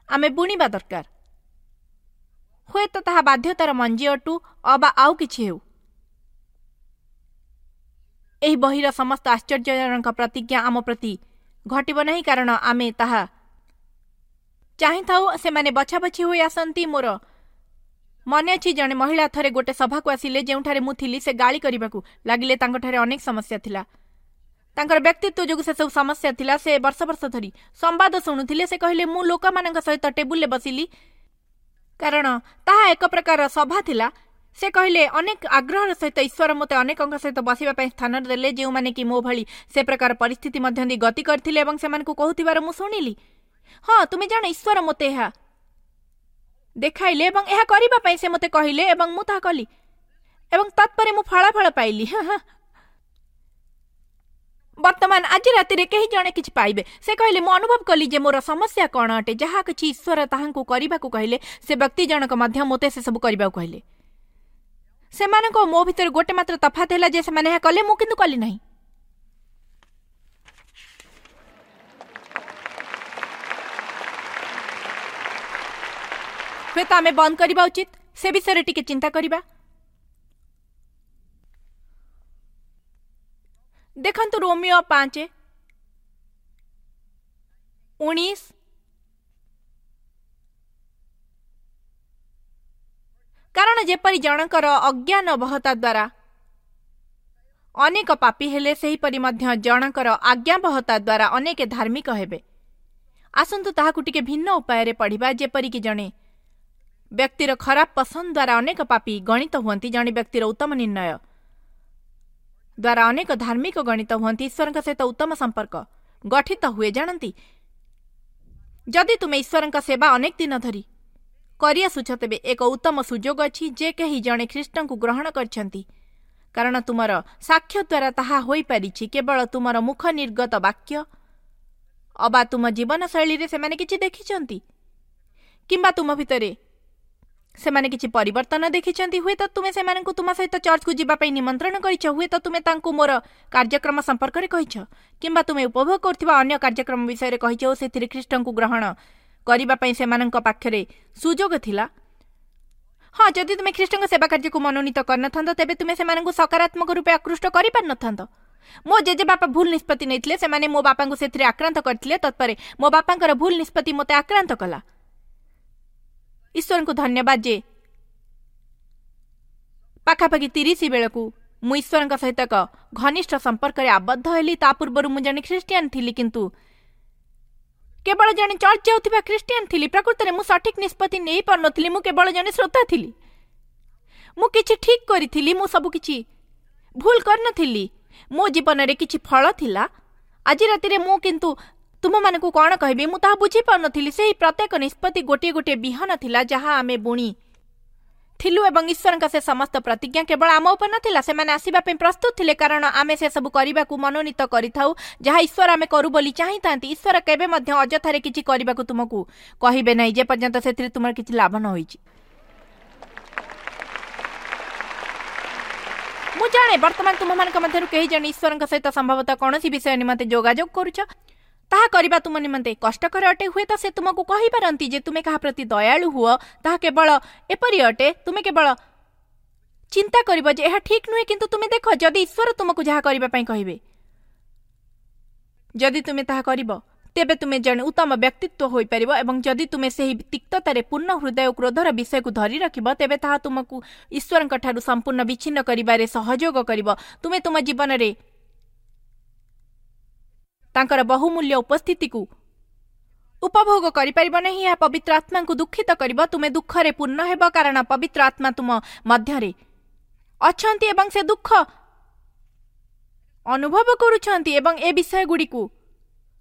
ଆମେ ବୁଣିବା ଦରକାର। ହୁଏତ ତାହା ବାଧ୍ୟତାର ମଞ୍ଜି ଅଟୁ ଅବା ଆଉ କିଛି ହେଉ। ଏହି ବହିର ସମସ୍ତ ଆଶ୍ଚର୍ଯ୍ୟଜନକ ପ୍ରତିଜ୍ଞା ଆମ ପ୍ରତି ଘଟିବ ନାହିଁ, କାରଣ ଆମେ ତାହା ଚାହିଁଥାଉ। ସେମାନେ ବଛାବଛି ହୋଇ ଆସନ୍ତି। ମୋର ମନେ ଅଛି, ଜଣେ ମହିଳା ଥରେ ଗୋଟେ ସଭାକୁ ଆସିଲେ ଯେଉଁଠାରେ ମୁଁ ଥିଲି। ସେ ଗାଳି କରିବାକୁ ଲାଗିଲେ। ତାଙ୍କଠାରେ ଅନେକ ସମସ୍ୟା ଥିଲା। ତାଙ୍କର ବ୍ୟକ୍ତିତ୍ୱ ଯୋଗୁଁ ସେସବୁ ସମସ୍ୟା ଥିଲା। ସେ ବର୍ଷ ବର୍ଷ ଧରି ସମ୍ବାଦ ଶୁଣୁଥିଲେ। ସେ କହିଲେ, ମୁଁ ଲୋକମାନଙ୍କ ସହିତ ଟେବୁଲରେ ବସିଲି, କାରଣ ତାହା ଏକ ପ୍ରକାର ସଭା ଥିଲା। ସେ କହିଲେ, ଅନେକ ଆଗ୍ରହର ସହିତ ଈଶ୍ୱର ମୋତେ ଅନେକଙ୍କ ସହିତ ବସିବା ପାଇଁ ସ୍ଥାନ ଦେଲେ, ଯେଉଁମାନେ କି ମୋ ଭଳି ସେ ପ୍ରକାର ପରିସ୍ଥିତି ମଧ୍ୟ ଦେଇ ଗତି କରିଥିଲେ, ଏବଂ ସେମାନଙ୍କୁ କହୁଥିବାର ମୁଁ ଶୁଣିଲି। ହଁ, ତୁମେ ଜାଣ, ଈଶ୍ୱର ମୋତେ ଏହା ଦେଖାଇଲେ ଏବଂ ଏହା କରିବା ପାଇଁ ସେ ମୋତେ କହିଲେ, ଏବଂ ମୁଁ ତାହା କଲି, ଏବଂ ତତ୍ପରେ ମୁଁ ଫଳାଫଳ ପାଇଲି। ବର୍ତ୍ତମାନ ଆଜି ରାତିରେ କେହି ଜଣେ କିଛି ପାଇବେ। ସେ କହିଲେ, ମୁଁ ଅନୁଭବ କଲି ଯେ ମୋର ସମସ୍ୟା କ'ଣ ଅଟେ। ଯାହା କିଛି ଈଶ୍ୱର ତାହାଙ୍କୁ କରିବାକୁ କହିଲେ, ସେ ବ୍ୟକ୍ତି ଜଣକ ମଧ୍ୟ ମୋତେ ସେସବୁ କରିବାକୁ କହିଲେ। ସେମାନଙ୍କ ମୋ ଭିତରେ ଗୋଟେ ମାତ୍ର ତଫାତ ହେଲା ଯେ ସେମାନେ ଏହା କଲେ, ମୁଁ କିନ୍ତୁ କଲି ନାହିଁ। ହୁଏତ ଆମେ ବନ୍ଦ କରିବା ଉଚିତ। ସେ ବିଷୟରେ ଟିକେ ଚିନ୍ତା କରିବା। ଦେଖନ୍ତୁ, ରୋମିଓ ପାଞ୍ଚ ଉଣେଇଶ କାରଣ ଯେପରି ଜଣଙ୍କର ଅଜ୍ଞାନ ବହତା ଦ୍ୱାରା ଅନେକ ପାପୀ ହେଲେ, ସେହିପରି ମଧ୍ୟ ଜଣଙ୍କର ଆଜ୍ଞାବହତା ଦ୍ୱାରା ଅନେକ ଧାର୍ମିକ ହେବେ। ଆସନ୍ତୁ ତାହାକୁ ଟିକେ ଭିନ୍ନ ଉପାୟରେ ପଢ଼ିବା। ଯେପରିକି ଜଣେ ବ୍ୟକ୍ତିର ଖରାପ ପସନ୍ଦ ଦ୍ୱାରା ଅନେକ ପାପୀ ଗଣିତ ହୁଅନ୍ତି, ଜଣେ ବ୍ୟକ୍ତିର ଉତ୍ତମ ନିର୍ଣ୍ଣୟ ଦ୍ୱାରା ଅନେକ ଧାର୍ମିକ ଗଣିତ ହୁଅନ୍ତି। ଈଶ୍ୱରଙ୍କ ସହିତ ଉତ୍ତମ ସମ୍ପର୍କ ଗଠିତ ହୁଏ। ଜାଣନ୍ତି, ଯଦି ତୁମେ ଈଶ୍ୱରଙ୍କ ସେବା ଅନେକ ଦିନ ଧରି କରିଆସୁଛ, ତେବେ ଏକ ଉତ୍ତମ ସୁଯୋଗ ଅଛି ଯେ କେହି ଜଣେ ଖ୍ରୀଷ୍ଟଙ୍କୁ ଗ୍ରହଣ କରିଛନ୍ତି, କାରଣ ତୁମର ସାକ୍ଷ୍ୟ ଦ୍ୱାରା ତାହା ହୋଇପାରିଛି। କେବଳ ତୁମର ମୁଖ ନିର୍ଗତ ବାକ୍ୟ ଅବା ତୁମ ଜୀବନଶୈଳୀରେ ସେମାନେ କିଛି ଦେଖିଛନ୍ତି, କିମ୍ବା ତୁମ ଭିତରେ ସେମାନେ କିଛି ପରିବର୍ତ୍ତନ ଦେଖିଛନ୍ତି। ହୁଏତ ତୁମେ ସେମାନଙ୍କୁ ତୁମ ସହିତ ଚର୍ଚ୍ଚକୁ ଯିବା ପାଇଁ ନିମନ୍ତ୍ରଣ କରିଛ, ହୁଏତ ତୁମେ ତାଙ୍କୁ ମୋର କାର୍ଯ୍ୟକ୍ରମ ସମ୍ପର୍କରେ କହିଛ, କିମ୍ବା ତୁମେ ଉପଭୋଗ କରୁଥିବା ଅନ୍ୟ କାର୍ଯ୍ୟକ୍ରମ ବିଷୟରେ କହିଛ ଓ ସେଥିରେ ଖ୍ରୀଷ୍ଟଙ୍କୁ ଗ୍ରହଣ କରିବା ପାଇଁ ସେମାନଙ୍କ ପାଖରେ ସୁଯୋଗ ଥିଲା। ହଁ, ଯଦି ତୁମେ ଖ୍ରୀଷ୍ଟଙ୍କ ସେବା କାର୍ଯ୍ୟକୁ ମନୋନୀତ କରିନଥାନ୍ତ, ତେବେ ତୁମେ ସେମାନଙ୍କୁ ସକାରାତ୍ମକ ରୂପେ ଆକୃଷ୍ଟ କରିପାରିନଥାନ୍ତ। ମୋ ଜେଜେବାପା ଭୁଲ ନିଷ୍ପତ୍ତି ନେଇଥିଲେ, ସେମାନେ ମୋ ବାପାଙ୍କୁ ସେଥିରେ ଆକ୍ରାନ୍ତ କରିଥିଲେ। ତତ୍ପରେ ମୋ ବାପାଙ୍କର ଭୁଲ ନିଷ୍ପତ୍ତି ମୋତେ ଆକ୍ରାନ୍ତ କଲା। ଈଶ୍ୱରଙ୍କୁ ଧନ୍ୟବାଦ ଯେ ପାଖାପାଖି ତିରିଶ ବେଳକୁ ମୁଁ ଈଶ୍ୱରଙ୍କ ସହିତ ଏକ ଘନିଷ୍ଠ ସମ୍ପର୍କରେ ଆବଦ୍ଧ ହେଲି। ତା ପୂର୍ବରୁ ମୁଁ ଜଣେ ଖ୍ରୀଷ୍ଟିଆନ ଥିଲି, କିନ୍ତୁ କେବଳ ଜଣେ ଚର୍ଚ୍ଚ ଯାଉଥିବା ଖ୍ରୀଷ୍ଟିଆନ ଥିଲି। ପ୍ରକୃତରେ ମୁଁ ସଠିକ୍ ନିଷ୍ପତ୍ତି ନେଇପାରୁନଥିଲି, ମୁଁ କେବଳ ଜଣେ ଶ୍ରୋତା ଥିଲି। ମୁଁ କିଛି ଠିକ୍ କରିଥିଲି, ମୁଁ ସବୁ କିଛି ଭୁଲ କରିନଥିଲି। ମୋ ଜୀବନରେ କିଛି ଫଳ ଥିଲା। ଆଜି ରାତିରେ ମୁଁ କିନ୍ତୁ ତୁମମାନଙ୍କୁ କ'ଣ କହିବି ମୁଁ ତାହା ବୁଝିପାରୁନଥିଲି। ସେହି ପ୍ରତ୍ୟେକ ନିଷ୍ପତ୍ତି ଗୋଟିଏ ଗୋଟିଏ ବିହନ ଥିଲା ଯାହା ଆମେ ବୁଣି ଥିଲୁ, ଏବଂ ଈଶ୍ୱରଙ୍କ ସେ ସମସ୍ତ ପ୍ରତିଜ୍ଞା କେବଳ ଆମ ଉପରେ ନଥିଲା। ସେମାନେ ଆସିବା ପାଇଁ ପ୍ରସ୍ତୁତ ଥିଲେ, କାରଣ ଆମେ ସେସବୁ କରିବାକୁ ମନୋନୀତ କରିଥାଉ ଯାହା ଈଶ୍ୱର ଆମେ କରୁ ବୋଲି ଚାହିଁଥାନ୍ତି। ଈଶ୍ୱର କେବେ ମଧ୍ୟ ଅଯଥାରେ କିଛି କରିବାକୁ ତୁମକୁ କହିବେ ନାହିଁ, ଯେପର୍ଯ୍ୟନ୍ତ ସେଥିରେ ତୁମର କିଛି ଲାଭ ନ ହୋଇଛି। ମୁଁ ଜାଣେ ବର୍ତ୍ତମାନ ତୁମମାନଙ୍କ ମଧ୍ୟରୁ କେହି ଜଣେ ଈଶ୍ୱରଙ୍କ ସହିତ ସମ୍ଭବତଃ କୌଣସି ବିଷୟ ନିମନ୍ତେ ଯୋଗାଯୋଗ କରୁଛ। ତାହା କରିବା ତୁମ ନିମନ୍ତେ କଷ୍ଟକର ଅଟେ। ହୁଏତ ସେ ତୁମକୁ କହିପାରନ୍ତି ଯେ ତୁମେ କାହା ପ୍ରତି ଦୟାଳୁ ହୁଅ, ତାହା କେବଳ ଏପରି ଅଟେ, ତୁମେ କେବଳ ଚିନ୍ତା କରିବ ଯେ ଏହା ଠିକ୍ ନୁହେଁ। କିନ୍ତୁ ତୁମେ ଦେଖ, ଯଦି ଈଶ୍ୱର ତୁମକୁ ଯାହା କରିବା ପାଇଁ କହିବେ, ଯଦି ତୁମେ ତାହା କରିବ, ତେବେ ତୁମେ ଜଣେ ଉତ୍ତମ ବ୍ୟକ୍ତିତ୍ୱ ହୋଇପାରିବ। ଏବଂ ଯଦି ତୁମେ ସେହି ତିକ୍ତତାରେ ପୂର୍ଣ୍ଣ ହୃଦୟ ଓ କ୍ରୋଧର ବିଷୟକୁ ଧରି ରଖିବ, ତେବେ ତାହା ତୁମକୁ ଈଶ୍ୱରଙ୍କ ଠାରୁ ସମ୍ପୂର୍ଣ୍ଣ ବିଚ୍ଛିନ୍ନ କରିବାରେ ସହଯୋଗ କରିବ। ତୁମେ ତୁମ ଜୀବନରେ ତାଙ୍କର ବହୁମୂଲ୍ୟ ଉପସ୍ଥିତିକୁ ଉପଭୋଗ କରିପାରିବ ନାହିଁ। ଏହା ପବିତ୍ର ଆତ୍ମାଙ୍କୁ ଦୁଃଖିତ କରିବ। ତୁମେ ଦୁଃଖରେ ପୂର୍ଣ୍ଣ ହେବ, କାରଣ ପବିତ୍ର ଆତ୍ମା ତୁମ ମଧ୍ୟରେ ଅଛନ୍ତି ଏବଂ ସେ ଦୁଃଖ ଅନୁଭବ କରୁଛନ୍ତି ଏବଂ ଏ ବିଷୟଗୁଡ଼ିକୁ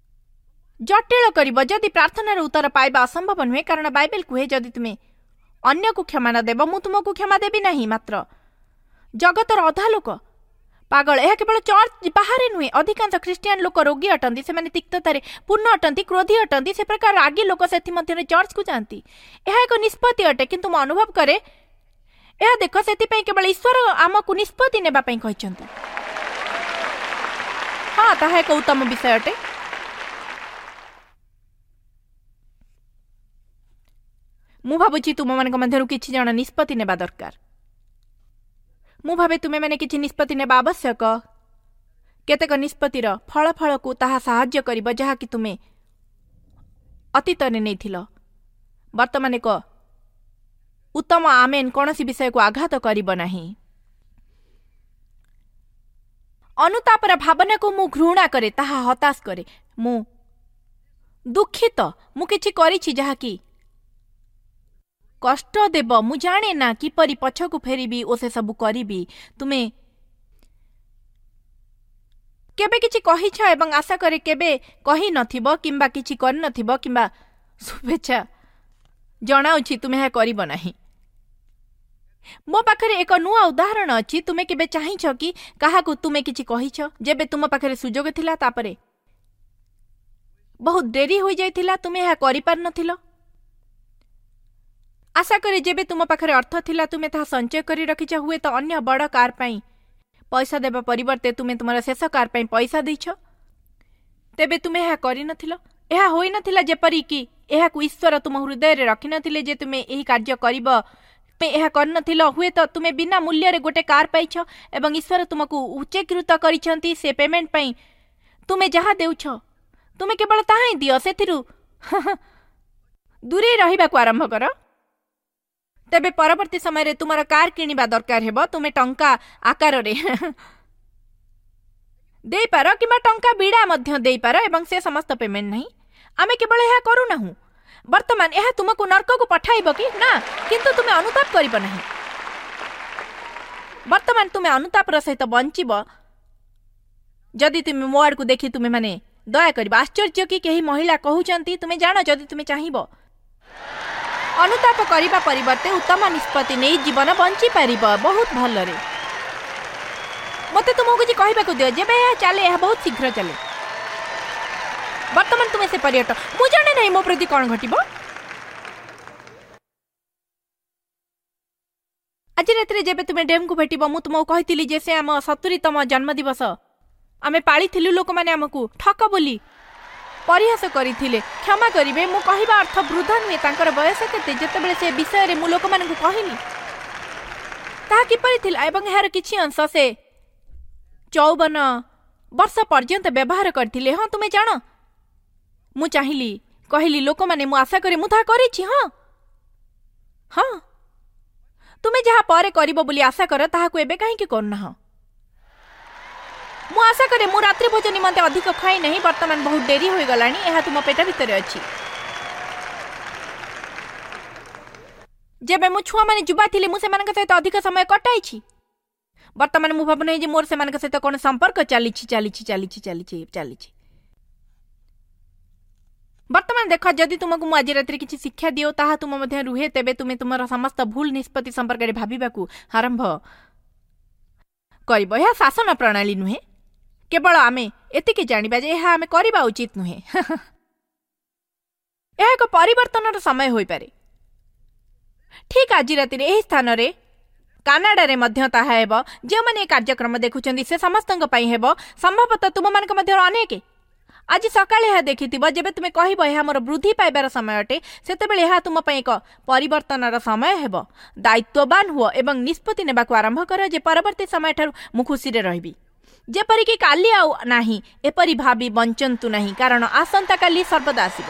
ଜଟିଳ କରିବ। ଯଦି ପ୍ରାର୍ଥନାର ଉତ୍ତର ପାଇବା ଅସମ୍ଭବ ନୁହେଁ, କାରଣ ବାଇବେଲ କୁହେ, ଯଦି ତୁମେ ଅନ୍ୟକୁ କ୍ଷମା ନ ଦେବ, ମୁଁ ତୁମକୁ କ୍ଷମା ଦେବି ନାହିଁ। ମାତ୍ର ଜଗତର ଅଧା ଲୋକ ପାଗଳ। ଏହା କେବଳ ଚର୍ଚ୍ଚ ବାହାରେ ନୁହେଁ, ଅଧିକାଂଶ ଖ୍ରୀଷ୍ଟିଆନ ଲୋକ ରୋଗୀ ଅଟନ୍ତି। ସେମାନେ ତିକ୍ତତାରେ ପୂର୍ଣ୍ଣ ଅଟନ୍ତି, କ୍ରୋଧୀ ଅଟନ୍ତି। ସେ ପ୍ରକାର ରାଗି ଲୋକ ସେଥିମଧ୍ୟରେ ଚର୍ଚ୍ଚକୁ ଯାଆନ୍ତି। ଏହା ଏକ ନିଷ୍ପତ୍ତି ଅଟେ, କିନ୍ତୁ ମୁଁ ଅନୁଭବ କରେ ଏହା ଦେଖ, ସେଥିପାଇଁ କେବଳ ଈଶ୍ୱର ଆମକୁ ନିଷ୍ପତ୍ତି ନେବା ପାଇଁ କହିଛନ୍ତି। ହଁ, ତାହା ଏକ ଉତ୍ତମ ବିଷୟ ଅଟେ। ମୁଁ ଭାବୁଛି ତୁମମାନଙ୍କ ମଧ୍ୟରୁ କିଛି ଜଣ ନିଷ୍ପତ୍ତି ନେବା ଦରକାର। ମୁଁ ଭାବେ ତୁମେମାନେ କିଛି ନିଷ୍ପତ୍ତି ନେବା ଆବଶ୍ୟକ। କେତେକ ନିଷ୍ପତ୍ତିର ଫଳାଫଳକୁ ତାହା ସାହାଯ୍ୟ କରିବ ଯାହାକି ତୁମେ ଅତୀତରେ ନେଇଥିଲ। ବର୍ତ୍ତମାନ ଏକ ଉତ୍ତମ ଆମେନ୍ କୌଣସି ବିଷୟକୁ ଆଘାତ କରିବ ନାହିଁ। ଅନୁତାପର ଭାବନାକୁ ମୁଁ ଘୃଣା କରେ, ତାହା ହତାଶ କରେ। ମୁଁ ଦୁଃଖିତ, ମୁଁ କିଛି କରିଛି ଯାହାକି କଷ୍ଟ ଦେବ। ମୁଁ ଜାଣେ ନା କିପରି ପଛକୁ ଫେରିବି ଓ ସେସବୁ କରିବି। ତୁମେ କେବେ କିଛି କହିଛ ଏବଂ ଆଶା କରେ କେବେ କହିନଥିବ କିମ୍ବା କିଛି କରିନଥିବ, କିମ୍ବା ଶୁଭେଚ୍ଛା ଜଣାଉଛି ତୁମେ ଏହା କରିବ ନାହିଁ। ମୋ ପାଖରେ ଏକ ନୂଆ ଉଦାହରଣ ଅଛି। ତୁମେ କେବେ ଚାହିଁଛ କି କାହାକୁ ତୁମେ କିଛି କହିଛ ଯେବେ ତୁମ ପାଖରେ ସୁଯୋଗ ଥିଲା, ତାପରେ ବହୁତ ଡେରି ହୋଇଯାଇଥିଲା, ତୁମେ ଏହା କରିପାରିନଥିଲ? ଆଶା କରେ ଯେବେ ତୁମ ପାଖରେ ଅର୍ଥ ଥିଲା ତୁମେ ତାହା ସଞ୍ଚୟ କରି ରଖିଛ। ହୁଏତ ଅନ୍ୟ ବଡ଼ କାର୍ ପାଇଁ ପଇସା ଦେବା ପରିବର୍ତ୍ତେ ତୁମେ ତୁମର ଶେଷ କାର୍ ପାଇଁ ପଇସା ଦେଇଛ। ତେବେ ତୁମେ ଏହା କରିନଥିଲ। ଏହା ହୋଇନଥିଲା ଯେପରିକି ଏହାକୁ ଈଶ୍ୱର ତୁମ ହୃଦୟରେ ରଖିନଥିଲେ ଯେ ତୁମେ ଏହି କାର୍ଯ୍ୟ କରିବ। ତୁମେ ଏହା କରିନଥିଲ। ହୁଏତ ତୁମେ ବିନା ମୂଲ୍ୟରେ ଗୋଟେ କାର୍ ପାଇଛ ଏବଂ ଈଶ୍ୱର ତୁମକୁ ଉଚ୍ଚୀକୃତ କରିଛନ୍ତି ସେ ପେମେଣ୍ଟ ପାଇଁ। ତୁମେ ଯାହା ଦେଉଛ ତୁମେ କେବଳ ତାହା ହିଁ ଦିଅ, ସେଥିରୁ ଦୂରେଇ ରହିବାକୁ ଆରମ୍ଭ କର। ତେବେ ପରବର୍ତ୍ତୀ ସମୟରେ ତୁମର କାର୍ କିଣିବା ଦରକାର ହେବ। ତୁମେ ଟଙ୍କା ଆକାରରେ ଦେଇପାର କିମ୍ବା ଟଙ୍କା ବିଡ଼ା ମଧ୍ୟ ଦେଇପାର, ଏବଂ ସେ ସମସ୍ତ ପେମେଣ୍ଟ ନାହିଁ। ଆମେ କେବଳ ଏହା କରୁନାହୁଁ। ବର୍ତ୍ତମାନ ଏହା ତୁମକୁ ନର୍କକୁ ପଠାଇବ କି ନା, କିନ୍ତୁ ତୁମେ ଅନୁତାପ କରିବ ନାହିଁ। ବର୍ତ୍ତମାନ ତୁମେ ଅନୁତାପର ସହିତ ବଞ୍ଚିବ ଯଦି ତୁମେ ମୋ ଆଡ଼କୁ ଦେଖି ତୁମେମାନେ ଦୟା କରିବ। ଆଶ୍ଚର୍ଯ୍ୟ କି କେହି ମହିଳା କହୁଛନ୍ତି, ତୁମେ ଜାଣ, ଯଦି ତୁମେ ଚାହିଁବ ଅନୁତାପ କରିବା ପରିବର୍ତ୍ତେ ଉତ୍ତମ ନିଷ୍ପତ୍ତି ନେଇ ଜୀବନ ବଞ୍ଚିପାରିବ ବହୁତ ଭଲରେ। ମୋତେ ତୁମକୁ କିଛି କହିବାକୁ ଦିଅ। ଯେବେ ଏହା ଚାଲେ, ଏହା ବହୁତ ଶୀଘ୍ର ଚାଲେ। ବର୍ତ୍ତମାନ ତୁମେ ସେପରି ଅଟ। ମୁଁ ଜାଣେ ନାହିଁ ମୋ ପ୍ରତି କ'ଣ ଘଟିବ। ଆଜି ରାତିରେ ଯେବେ ତୁମେ ଡେମ୍କୁ ଭେଟିବ, ମୁଁ ତୁମକୁ କହିଥିଲି ଯେ ସେ ଆମ ସତୁରିତମ ଜନ୍ମଦିବସ ଆମେ ପାଳିଥିଲୁ। ଲୋକମାନେ ଆମକୁ ଠକ ବୋଲି ପରିହାସ କରିଥିଲେ। କ୍ଷମା କରିବେ, ମୁଁ କହିବା ଅର୍ଥ ବୃଦ୍ଧ ନୁହେଁ, ତାଙ୍କର ବୟସ କେତେ? ଯେତେବେଳେ ସେ ବିଷୟରେ ମୁଁ ଲୋକମାନଙ୍କୁ କହିଲି ତାହା କିପରି ଥିଲା, ଏବଂ ଏହାର କିଛି ଅଂଶ ସେ ଚଉବନ ବର୍ଷ ପର୍ଯ୍ୟନ୍ତ ବ୍ୟବହାର କରିଥିଲେ। ହଁ, ତୁମେ ଜାଣ, ମୁଁ ଚାହିଁଲି କହିଲି ଲୋକମାନେ, ମୁଁ ଆଶା କରେ ମୁଁ ତାହା କରିଛି। ହଁ ହଁ, ତୁମେ ଯାହା ପରେ କରିବ ବୋଲି ଆଶା କର ତାହାକୁ ଏବେ କାହିଁକି କରୁନାହଁ? ମୁଁ ଆଶା କରେ ମୁଁ ରାତ୍ରି ଭୋଜ ନିମନ୍ତେ ଅଧିକ ଖାଇ ନାହିଁ। ବର୍ତ୍ତମାନ ବହୁତ ଡେରି ହୋଇଗଲାଣି। ଏହା ତୁମ ପେଟ ଭିତରେ ଅଛି। ଯେବେ ମୁଁ ଛୁଆମାନେ ଯୁବା ଥିଲି, ମୁଁ ସେମାନଙ୍କ ସହିତ ଅଧିକ ସମୟ କଟାଇଛି। ବର୍ତ୍ତମାନ ମୁଁ ଭାବୁନାହିଁ ଯେ ମୋର ସେମାନଙ୍କ ସହିତ କୌଣସି ସମ୍ପର୍କ ଚାଲିଛି ଚାଲିଛି ଚାଲିଛି ଚାଲିଛି ଚାଲିଛି। ବର୍ତ୍ତମାନ ଦେଖ, ଯଦି ତୁମକୁ ମୁଁ ଆଜି ରାତିରେ କିଛି ଶିକ୍ଷା ଦିଅ, ତାହା ତୁମ ମଧ୍ୟ ରୁହେ, ତେବେ ତୁମେ ତୁମର ସମସ୍ତ ଭୁଲ ନିଷ୍ପତ୍ତି ସମ୍ପର୍କରେ ଭାବିବାକୁ ଆରମ୍ଭ କରିବ। ଏହା ଶାସନ ପ୍ରଣାଳୀ ନୁହେଁ, କେବଳ ଆମେ ଏତିକି ଜାଣିବା ଯେ ଏହା ଆମେ କରିବା ଉଚିତ ନୁହେଁ। ଏହା ଏକ ପରିବର୍ତ୍ତନର ସମୟ ହୋଇପାରେ। ଠିକ୍ ଆଜି ରାତିରେ ଏହି ସ୍ଥାନରେ କାନାଡାରେ ମଧ୍ୟ ତାହା ହେବ। ଯେଉଁମାନେ ଏ କାର୍ଯ୍ୟକ୍ରମ ଦେଖୁଛନ୍ତି ସେ ସମସ୍ତଙ୍କ ପାଇଁ ହେବ। ସମ୍ଭବତଃ ତୁମମାନଙ୍କ ମଧ୍ୟରୁ ଅନେକ ଆଜି ସକାଳେ ଏହା ଦେଖିଥିବ। ଯେବେ ତୁମେ କହିବ ଏହା ମୋର ବୃଦ୍ଧି ପାଇବାର ସମୟ ଅଟେ, ସେତେବେଳେ ଏହା ତୁମ ପାଇଁ ଏକ ପରିବର୍ତ୍ତନର ସମୟ ହେବ। ଦାୟିତ୍ୱବାନ ହୁଅ ଏବଂ ନିଷ୍ପତ୍ତି ନେବାକୁ ଆରମ୍ଭ କର ଯେ ପରବର୍ତ୍ତୀ ସମୟଠାରୁ ମୁଁ ଖୁସିରେ ରହିବି, ଯେପରିକି କାଲି ଆଉ ନାହିଁ। ଏପରି ଭାବି ବଞ୍ଚନ୍ତୁ ନାହିଁ, କାରଣ ଆସନ୍ତାକାଲି ସର୍ବଦା ଆସିବ।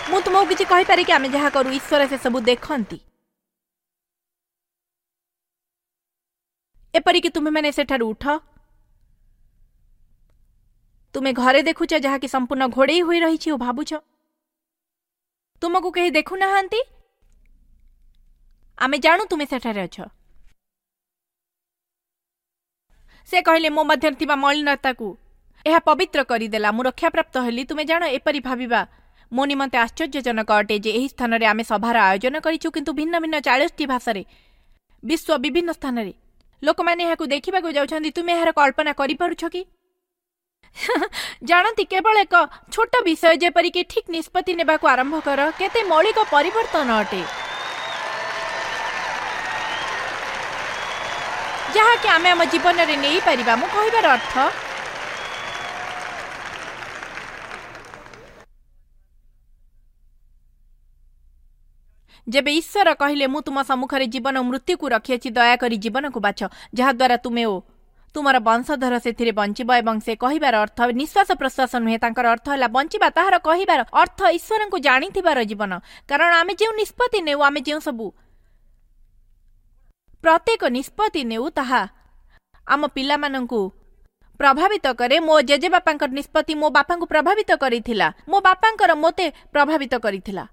ମୁଁ ତୁମକୁ କିଛି କହିପାରେ କି? ଆମେ ଯାହା କରୁ ଈଶ୍ୱର ସେସବୁ ଦେଖନ୍ତି। ଏପରିକି ତୁମେମାନେ ସେଠାରୁ ଉଠ, ତୁମେ ଘରେ ଦେଖୁଛ ଯାହାକି ସମ୍ପୂର୍ଣ୍ଣ ଘୋଡ଼େଇ ହୋଇ ରହିଛି ଓ ଭାବୁଛ ତୁମକୁ କେହି ଦେଖୁନାହାନ୍ତି। ଆମେ ଜାଣୁ ତୁମେ ସେଠାରେ ଅଛ। ସେ କହିଲେ, ମୋ ମଧ୍ୟରେ ଥିବା ମଳିନତାକୁ ଏହା ପବିତ୍ର କରିଦେଲା, ମୁଁ ରକ୍ଷାପ୍ରାପ୍ତ ହେଲି। ତୁମେ ଜାଣ, ଏପରି ଭାବିବା ମୋ ନିମନ୍ତେ ଆଶ୍ଚର୍ଯ୍ୟଜନକ ଅଟେ ଯେ ଏହି ସ୍ଥାନରେ ଆମେ ସଭାର ଆୟୋଜନ କରିଛୁ, କିନ୍ତୁ ଭିନ୍ନ ଭିନ୍ନ ଚାଳିଶଟି ଭାଷାରେ ବିଶ୍ୱ ବିଭିନ୍ନ ସ୍ଥାନରେ ଲୋକମାନେ ଏହାକୁ ଦେଖିବାକୁ ଯାଉଛନ୍ତି। ତୁମେ ଏହାର କଳ୍ପନା କରିପାରୁଛ କି? ଜାଣନ୍ତି, କେବଳ ଏକ ଛୋଟ ବିଷୟ ଯେପରିକି ଠିକ୍ ନିଷ୍ପତ୍ତି ନେବାକୁ ଆରମ୍ଭ କର, କେତେ ମୌଳିକ ପରିବର୍ତ୍ତନ ଅଟେ, ଯାହାକି ଆମେ ଆମ ଜୀବନରେ ନେଇପାରିବା। ମୁଁ କହିବାର ଅର୍ଥ, ଯେବେ ଈଶ୍ୱର କହିଲେ ମୁଁ ତୁମ ସମ୍ମୁଖରେ ଜୀବନ ଓ ମୃତ୍ୟୁକୁ ରଖିଅଛି, ଦୟାକରି ଜୀବନକୁ ବାଛ, ଯାହାଦ୍ୱାରା ତୁମେ ଓ ତୁମର ବଂଶଧର ସେଥିରେ ବଞ୍ଚିବ। ଏବଂ ସେ କହିବାର ଅର୍ଥ ନିଶ୍ୱାସ ପ୍ରଶ୍ୱାସ ନୁହେଁ, ତାଙ୍କର ଅର୍ଥ ହେଲା ବଞ୍ଚିବା। ତାହାର କହିବାର ଅର୍ଥ ଈଶ୍ୱରଙ୍କୁ ଜାଣିଥିବାର ଜୀବନ। କାରଣ ଆମେ ଯେଉଁ ନିଷ୍ପତ୍ତି ନେଉ, ଆମେ ଯେଉଁ ସବୁ ପ୍ରତ୍ୟେକ ନିଷ୍ପତ୍ତି ନେଉ, ତାହା ଆମ ପିଲାମାନଙ୍କୁ ପ୍ରଭାବିତ କରେ। ମୋ ଜେଜେବାପାଙ୍କର ନିଷ୍ପତ୍ତି ମୋ ବାପାଙ୍କୁ ପ୍ରଭାବିତ କରିଥିଲା, ମୋ ବାପାଙ୍କର ମୋତେ ପ୍ରଭାବିତ କରିଥିଲା।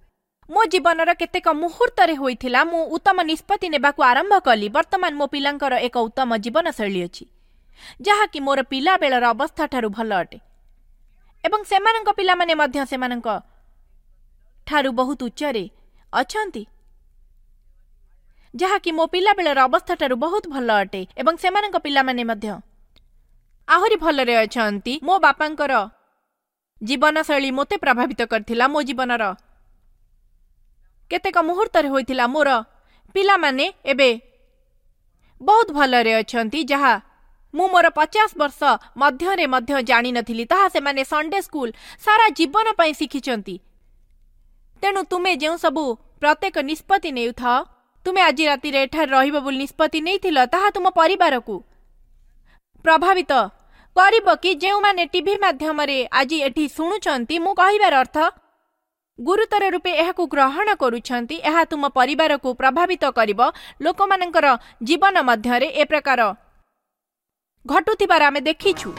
ମୋ ଜୀବନର କେତେକ ମୁହୂର୍ତ୍ତରେ ହୋଇଥିଲା ମୁଁ ଉତ୍ତମ ନିଷ୍ପତ୍ତି ନେବାକୁ ଆରମ୍ଭ କଲି। ବର୍ତ୍ତମାନ ମୋ ପିଲାଙ୍କର ଏକ ଉତ୍ତମ ଜୀବନଶୈଳୀ ଅଛି, ଯାହାକି ମୋର ପିଲାବେଳର ଅବସ୍ଥାଠାରୁ ଭଲ ଅଟେ, ଏବଂ ସେମାନଙ୍କ ପିଲାମାନେ ମଧ୍ୟ ସେମାନଙ୍କ ଠାରୁ ବହୁତ ଉଚ୍ଚରେ ଅଛନ୍ତି, ଯାହାକି ମୋ ପିଲାବେଳର ଅବସ୍ଥାଠାରୁ ବହୁତ ଭଲ ଅଟେ, ଏବଂ ସେମାନଙ୍କ ପିଲାମାନେ ମଧ୍ୟ ଆହୁରି ଭଲରେ ଅଛନ୍ତି। ମୋ ବାପାଙ୍କର ଜୀବନଶୈଳୀ ମୋତେ ପ୍ରଭାବିତ କରିଥିଲା। ମୋ ଜୀବନର କେତେକ ମୁହୂର୍ତ୍ତରେ ହୋଇଥିଲା ମୋର ପିଲାମାନେ ଏବେ ବହୁତ ଭଲରେ ଅଛନ୍ତି, ଯାହା ମୁଁ ମୋର ପଚାଶ ବର୍ଷ ମଧ୍ୟରେ ମଧ୍ୟ ଜାଣିନଥିଲି। ତାହା ସେମାନେ ସଣ୍ଡେ ସ୍କୁଲ ସାରା ଜୀବନ ପାଇଁ ଶିଖିଛନ୍ତି। ତେଣୁ ତୁମେ ଯେଉଁ ସବୁ ପ୍ରତ୍ୟେକ ନିଷ୍ପତ୍ତି ନେଉଥାଅ, ତୁମେ ଆଜି ରାତିରେ ଏଠାରେ ରହିବ ବୋଲି ନିଷ୍ପତ୍ତି ନେଇଥିଲ, ତାହା ତୁମ ପରିବାରକୁ ପ୍ରଭାବିତ କରିବ କି? ଯେଉଁମାନେ ଟିଭି ମାଧ୍ୟମରେ ଆଜି ଏଠି ଶୁଣୁଛନ୍ତି, ମୁଁ କହିବାର ଅର୍ଥ ଗୁରୁତର ରୂପେ ଏହାକୁ ଗ୍ରହଣ କରୁଛନ୍ତି, ଏହା ତୁମ ପରିବାରକୁ ପ୍ରଭାବିତ କରିବ। ଲୋକମାନଙ୍କର ଜୀବନ ମଧ୍ୟରେ ଏ ପ୍ରକାର ଘଟୁଥିବାର ଆମେ ଦେଖିଛୁ।